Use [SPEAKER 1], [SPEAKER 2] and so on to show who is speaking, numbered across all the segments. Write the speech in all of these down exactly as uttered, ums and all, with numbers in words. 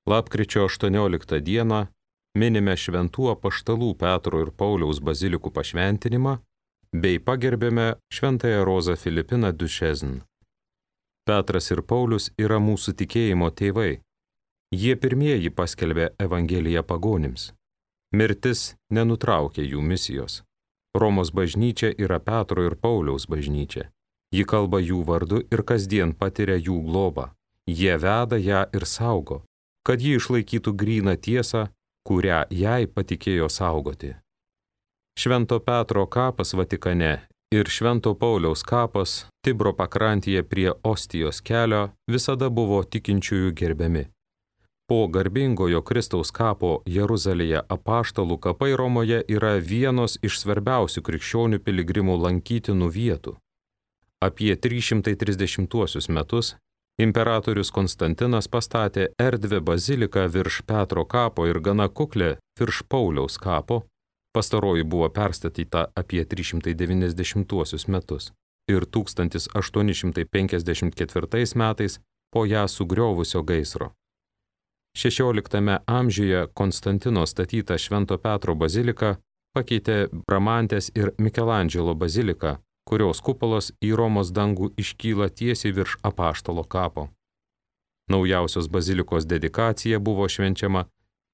[SPEAKER 1] Lapkričio aštuonioliktą dieną minime šventų apaštalų Petro ir Pauliaus bazilikų pašventinimą bei pagerbėme šventąją Rozą Filipiną Duchesne. Petras ir Paulius yra mūsų tikėjimo tėvai. Jie pirmieji paskelbė Evangeliją pagonims. Mirtis nenutraukė jų misijos. Romos bažnyčia yra Petro ir Pauliaus bažnyčia. Ji kalba jų vardu ir kasdien patiria jų globą. Jie veda ją ir saugo, kad ji išlaikytų gryną tiesą, kurią jai patikėjo saugoti. Švento Petro kapas Vatikane ir Švento Pauliaus kapas Tibro pakrantėje prie Ostijos kelio visada buvo tikinčiųjų gerbiami. Po garbingojo Kristaus kapo Jeruzalėje apaštalų kapai Romoje yra vienos iš svarbiausių krikščionių piligrimų lankytinų vietų. Apie trys šimtai trisdešimtuosius metus imperatorius Konstantinas pastatė erdvę baziliką virš Petro kapo ir gana kuklę virš Pauliaus kapo. Pastaroji buvo perstatyta apie trys šimtai devyniasdešimtuosius metus ir tūkstantis aštuoni šimtai penkiasdešimt ketvirtais metais po ją sugriovusio gaisro. šešioliktame amžiuje Konstantino statyta Švento Petro bazilika pakeitė Bramantės ir Mikelandželo baziliką, kurios kupolas į Romos dangų iškyla tiesiai virš apaštalo kapo. Naujausios bazilikos dedikacija buvo švenčiama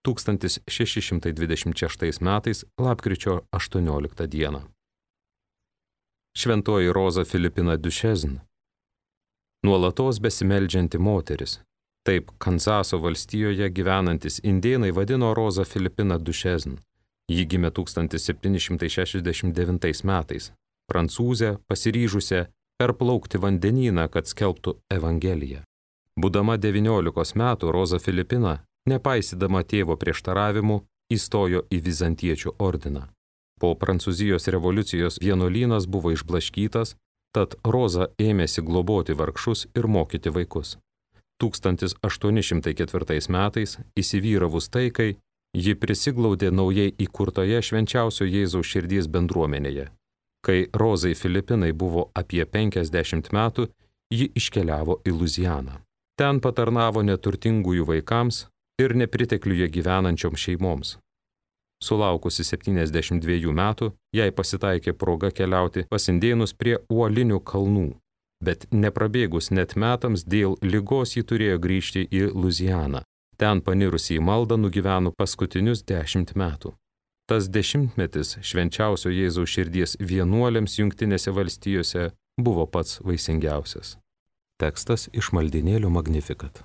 [SPEAKER 1] tūkstantis šeši šimtai dvidešimt šeštais metais lapkričio aštuonioliktą dieną. Šventoji Roza Filipina Duchesne. Nuolatos besimeldžianti moteris. Taip Kanzaso valstijoje gyvenantis indėnai vadino Rozą Filipiną Duchesne. Ji gimė tūkstantis septyni šimtai šešiasdešimt devintais metais. Prancūzė pasiryžusią perplaukti vandenyną, kad skelbtų Evangeliją. Būdama devyniolikos metų Roza Filipina, nepaisydama tėvo prieštaravimų, įstojo į Vizantiečių ordiną. Po Prancūzijos revoliucijos vienuolynas buvo išblaškytas, tad Roza ėmėsi globoti vargšus ir mokyti vaikus. tūkstantis aštuoni šimtai ketvirtais metais, įsivyravus taikai, ji prisiglaudė naujai įkurtoje Švenčiausio Jėzaus širdies bendruomenėje. Kai Rozai Filipinai buvo apie penkiasdešimt metų, ji iškeliavo į Luzianą. Ten patarnavo neturtingųjų vaikams ir nepritekliuje gyvenančioms šeimoms. Sulaukusi septyniasdešimt dviejų metų, jai pasitaikė proga keliauti pas indėnus prie uolinių kalnų. Bet neprabėgus net metams dėl ligos ji turėjo grįžti į Luzianą. Ten panirusi į maldą nugyveno paskutinius dešimt metų. Tas dešimtmetis Švenčiausio Jėzaus širdies vienuoliams Jungtinėse valstijose buvo pats vaisingiausias. Tekstas iš maldynėlio Magnificat.